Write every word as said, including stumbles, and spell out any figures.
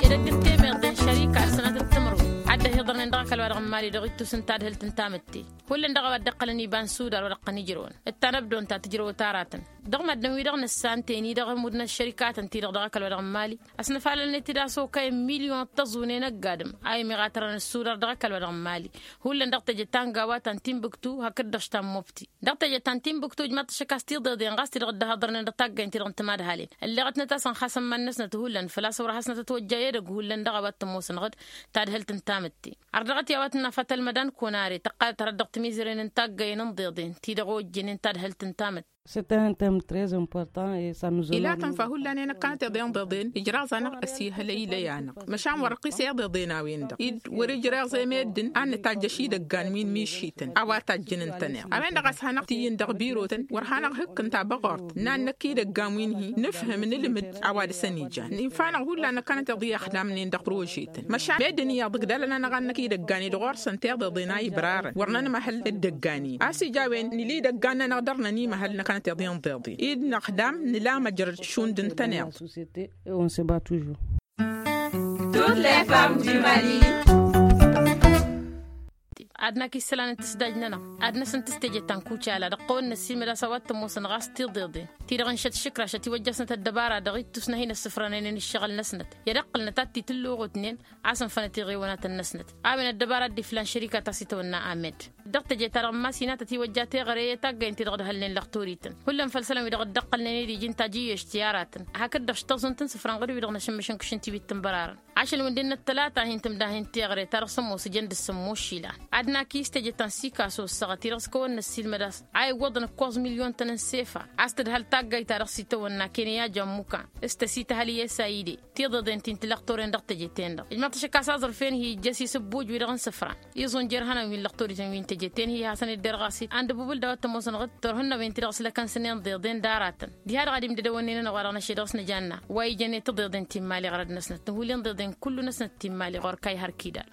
Edăgg n-temeḍe n-šărika d-sănatăt timǝrwen ad-dd-ăhiḍărnen dăɣ-ăkall wa dăɣ-n mali dăɣ-ittus n-tadhǝlt n-tamǝtte. Hullan dăɣ-a-wa dd-iqqălăn iba n-sudar wa dăɣ-tăn-ijrăwăn d-tanăbdont ta tǝjrăwăt aratăn dăɣ-măddǝn-wi-dăɣ nǝssan teni dăɣ-ămudd n-ăššărikatăn-ti-dăɣ dăɣ-ăkall wa dăɣ-n mali. Ăsnăfalălnet-dd a-s okăyăn milyon tăẓune n-ăgg-adǝm a imeɣatărăn ăssudar dăɣ-ăkall wa dăɣ-n mali. Hullan dăɣ-teje ta n-gawa ta n-tinbǝktu hakd-dăɣ ta n-mobti dăɣ-teje ta n-tinbǝktu ǝjmaḍ-t ašăk a-s tiḍeḍen ɣas ti-dăɣ dd-ăhhăḍărnen dăɣ-taggaynt-ti-dăɣ n-timadhalen. Ǝlleɣătnăt a-s ănxasăn iman-năsnăt hullan făl-a-s wăr hasnăt ătwăjja i-edăgg hullan dăɣ-a-wa t-ămoosăn ɣǝd tadhǝlt n-tamǝtte. Ărdăɣăt i-a-wa tǝnna fatăl mădan kunare tăqqalăt hărăt dăɣ-timizăren n-taggayen n-iḍeḍen ti-dăɣ ojjănen tadhǝlt n-tamǝtte. Ilatăn fa hullan i-năkkanăt iḍeḍen ijraẓ-anăɣ ăsihălăy ilăy-anăɣ măšan wăr-ăqqis i-iḍeḍen a-wen-dăɣ id wăr-ijreẓ i-meddǝn ad-nǝtajjăš idăggan wi n-mišităn a-wa tajjǝn ǝntăneḍ a-wen-dăɣ a-s hanăɣ-tǝyyǝn dăɣ-birotăn wăr hanăɣ-hǝkkǝn tabăɣort n-ad-năkk idăggan wi n-hi-nǝfhǝm nǝlmǝd a-wa dăɣ-săn ijan infa-năɣ hullan năkkanăt iḍeḍen ixdamnen dăɣ-prožetăn măšan meddǝn iyyăḍ ǝgdalăn-anăɣ ad-năkk idăggan-i dăɣ-orsa n-tiḍeḍen a ibărarăn wăr nănmăhăl d-idăggan-i a-s ija a-wen nǝla idăggan-nănăɣ dăr-nănimăhăl năkkanăt iḍeḍen ḍeḍen id-năxdam nǝla măjrăd šund ǝntăneḍ. Ad-nak isălan n-tǝsdaj-nănăɣ ad-năsăn tǝsteje ta n-kucala dăɣ-tawănna ăssiilmăd a-s a-wa t-ămoosăn ɣas tiḍeḍen ti-dăɣ n-šăt šǝkraš ătiwăjjasnăt ăddăbara dăɣ-ittus n-ad-hin-ăssǝfrănen ǝššăɣǝl-năsnăt i-ad-ăqqǝlnăt ad-t-itǝlluɣutnen. A-s ǝnfănăt iɣewanatăn-năsnăt a-wen ăddăbara dd-iflan šărikata s-itawănna amed dăɣ-teje-ta-dăɣ n-masinat ătiwăjja teɣăre i-taggayǝn-ti-dăɣ d-hălnen lăxtorităn hullan făll-isălan wi-dăɣ dd-ăqqălnen i-diji n-tajǝyyešt i-aratăn hakd-dăɣ s-taẓunt n-isǝfra n-ɣǝd-wi-dăɣ n-ašǝmmǝšăn kǝšǝn tiwit tǝnbărarăn. Ašăl wi n-dd-innă ăttălata hin-tǝmdahin teɣăre ta dăɣ-s ămoos ǝjăn dăr-s ămmoššila ad-nak i-s teje ta n-sikaso ăssăɣăt-i-dăɣ s-kăwăn-năssiilmăd a-s a iwwăḍăn ǝkkoẓ milyon-tăn n-sefa a-s tǝdhăl taggayt ta dăɣ-s itawănna keniya jammuka s-tăsităhăl i-esayide tiḍeḍen ti n-tilăɣtoren dăɣ-teje-ten-dăɣ ijmăḍ-t ašăk a-s aẓrǝf-en hi-ijjăs isǝbbujwi-dăɣ n-isǝfra iẓunjer ihănan wi n-lăɣtorităn wi n-teje-ten-hi hasăn-dd-irɣas-it a n-dăbubǝl d-a-wa t-ămoosăn ɣǝd turhǝnnawen-ti-dăɣ s-lăkăn-săn inḍeḍen d-aratăn diha-dăɣ ad-imdădăwănnen-anăɣ wa dăɣ-năšedăɣ s-nǝjanna wa ijănen tiḍeḍen ti n-imali ɣărăd-năsnăt n-hulli inḍeḍen kullu-năsnăt ti n-imali ɣur-kayhar kidal.